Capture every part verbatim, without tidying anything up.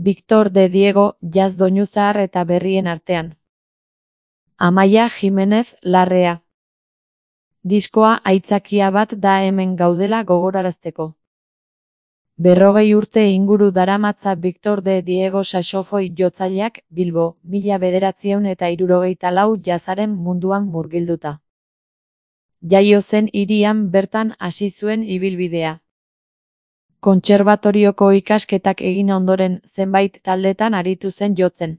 Victor de Diego, jazz doinu zahar eta berrien artean. Amaia Jimenez Larrea. Diskoa aitzakia bat da hemen gaudela gogorarazteko. Berrogei urte inguru daramatza Victor de Diego saxofoi jotzaileak Bilbo, mila bederatziehun eta hirurogeita lau jazzaren munduan murgilduta. Jaio zen hirian bertan hasi zuen ibilbidea. Kontserbatorioko ikasketak egin ondoren zenbait taldetan aritu zen jotzen.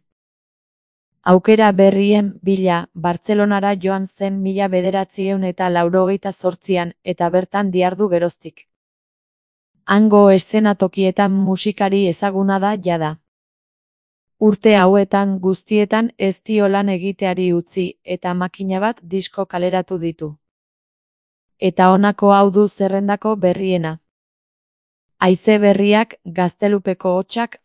Aukera berrien bila Bartzelonara joan zen mila bederatziehun eta laurogeita zortzian eta bertan dihardu geroztik. Hango eszenatokietan musikari ezaguna da jada. Urte hauetan guztietan ez dio lan egiteari utzi eta makina bat disko kaleratu ditu. Eta honako hau du zerrendako berriena. Haize berriak, Gaztelupeko hotsak,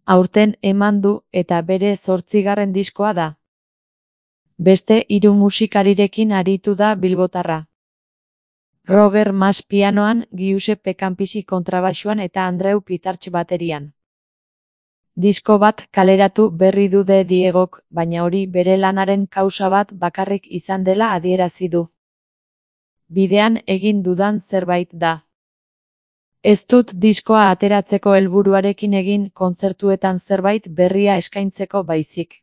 aurten eman du eta bere zortzigarren diskoa da. Beste hiru musikarirekin aritu da bilbotarra. Roger Mas pianoan, Giuseppe Campisi kontrabaxuan eta Andreu Pitarch baterian. Disko bat kaleratu berri du de Diegok, baina hori bere lanaren kausa bat bakarrik izan dela adierazi du. Bidean egin dudan zerbait da. Ez dut diskoa ateratzeko helburuarekin egin kontzertuetan zerbait berria eskaintzeko baizik.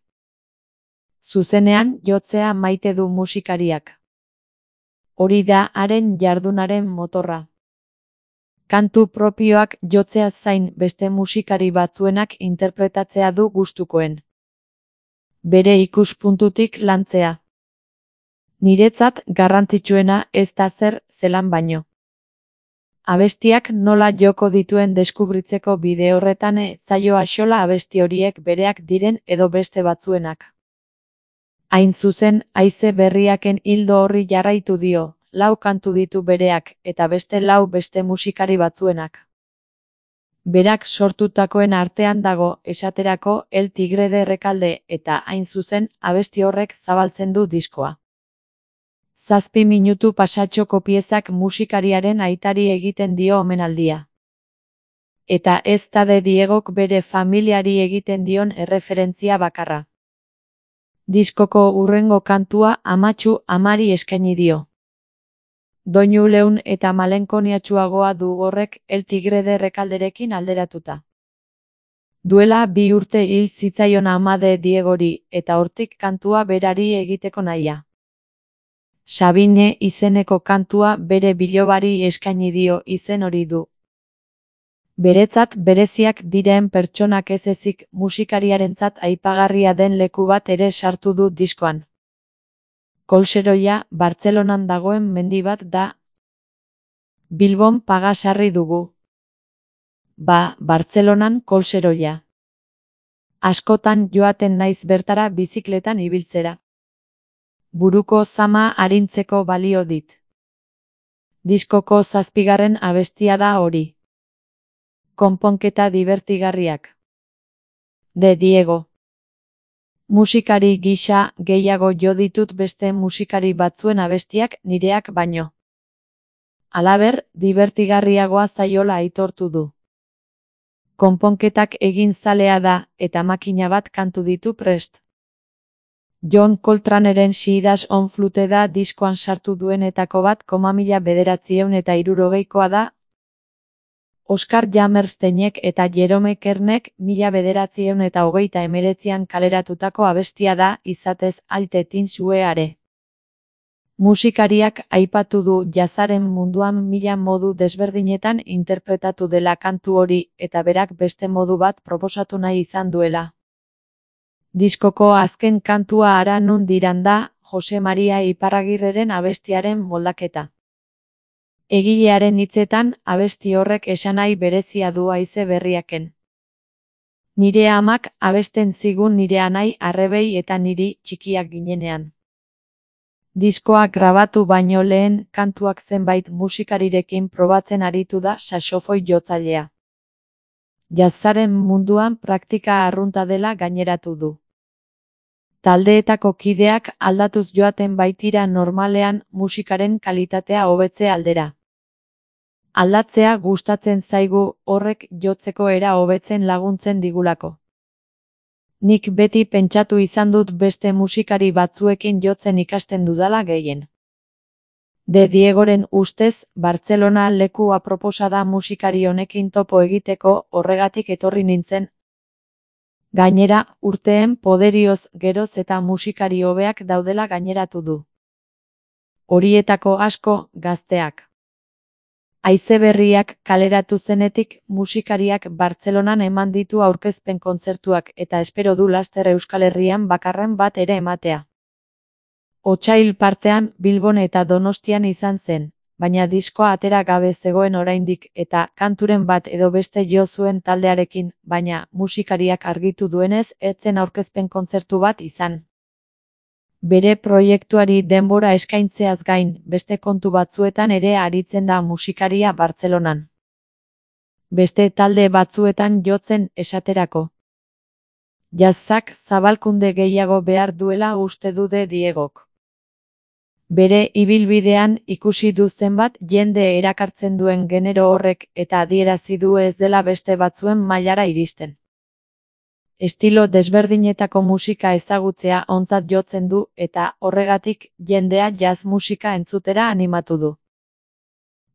Zuzenean jotzea maite du musikariak. Hori da haren jardunaren motorra. Kantu propioak jotzea zain beste musikari batzuenak interpretatzea du gustukoen. Bere ikuspuntutik lantzea. Niretzat garrantzitsuena ez da zer zelan baino. Abestiak nola joko dituen deskubritzeko bide horretan ez zaio axola abesti horiek bereak diren edo beste batzuenak. Hain zuzen, haize berriaken hildo horri jarraitu dio, lau kantu ditu bereak eta beste lau beste musikari batzuenak. Berak sortutakoen artean dago, esaterako, El Tigre de Rekalde eta hain zuzen, abesti horrek zabaltzen du diskoa. Zazpi minutu pasatxoko piezak musikariaren aitari egiten dio omenaldia. Eta ez da de Diegok bere familiari egiten dion erreferentzia bakarra. Diskoko hurrengo kantua amatxu amari eskaini dio. Doinu leun eta malenkoniatsuagoa du horrek El Tigre de Rekalderekin alderatuta. Duela bi urte hil zitzaion ama de Diegori eta hortik kantua berari egiteko nahia. Sabine izeneko kantua bere bilobari eskaini dio izen hori du. Beretzat bereziak diren pertsonak ez ezik musikariarentzat aipagarria den leku bat ere sartu du diskoan. Kolseroia, Bartzelonan dagoen mendi bat da. Bilbon pagasarri dugu. Ba, Bartzelonan Kolseroia. Askotan joaten naiz bertara bizikletan ibiltzera. Buruko zama arintzeko balio dit. Diskoko zazpigarren abestia da hori. Konponketa divertigarriak. De Diego. Musikari gisa gehiago jo ditut beste musikari batzuen abestiak nireak baino. Halaber, divertigarriagoa zaiola aitortu du. Konponketak egin zalea da eta makina bat kantu ditu prest. John Coltraneren She Does On Flute da diskoan sartu duenetako bat koma mila bederatziehun eta hirurogeikoa da. Oscar Hammersteinek eta Jerome Kernek mila bederatziehun eta hogeita hemeretzian kaleratutako abestia da izatez Alte Tinsueare. Musikariak aipatu du jazzaren munduan mila modu desberdinetan interpretatu dela kantu hori eta berak beste modu bat proposatu nahi izan duela. Diskoko azken kantua Hara nun diran da, Jose Maria Iparragirreren abestiaren moldaketa. Egilearen hitzetan, abesti horrek esanahi berezia du haize berriaken. Nire amak abesten zigun nire anai arrebei eta niri txikiak ginenean. Diskoa grabatu baino lehen kantuak zenbait musikarirekin probatzen aritu da saxofoi jotzailea. Jazzaren munduan praktika arrunta dela gaineratu du. Taldeetako kideak aldatuz joaten baitira normalean musikaren kalitatea hobetze aldera. Aldatzea gustatzen zaigu, horrek jotzeko era hobetzen laguntzen digulako. Nik beti pentsatu izan dut beste musikari batzuekin jotzen ikasten dudala gehien. De Diegoren ustez, Bartzelona leku aproposa da musikari honekin topo egiteko, horregatik etorri nintzen. Gainera, urteen poderioz geroz eta musikari hobeak daudela gaineratu du. Horietako asko, gazteak. Haize berriak kaleratu zenetik, musikariak Bartzelonan eman ditu aurkezpen kontzertuak eta espero du laster Euskal Herrian bakarren bat ere ematea. Otsail partean Bilbon eta Donostian izan zen, baina diskoa atera gabe zegoen oraindik eta kanturen bat edo beste jo zuen taldearekin, baina musikariak argitu duenez ez zen aurkezpen kontzertu bat izan. Bere proiektuari denbora eskaintzeaz gain, beste kontu batzuetan ere aritzen da musikaria Bartzelonan. Beste talde batzuetan jotzen esaterako. Jazzak zabalkunde gehiago behar duela uste du De Diegok. Bere ibilbidean ikusi du zenbat jende erakartzen duen genero horrek eta adierazi du ez dela beste batzuen mailara iristen. Estilo desberdinetako musika ezagutzea ontzat jotzen du eta horregatik jendea jazz musika entzutera animatu du.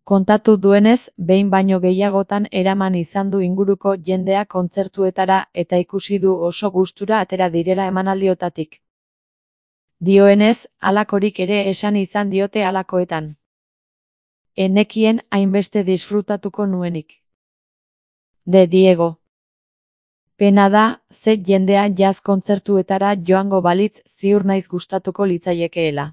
Kontatu duenez, behin baino gehiagotan eraman izan du inguruko jendea kontzertuetara eta ikusi du oso gustura atera direla emanaldiotatik. Dioenez, halakorik ere esan izan diote halakoetan. Enekien hainbeste disfrutatuko nuenik. De Diego. Pena da, ze jendea jazz kontzertuetara joango balitz ziur naiz gustatuko litzaiekeela.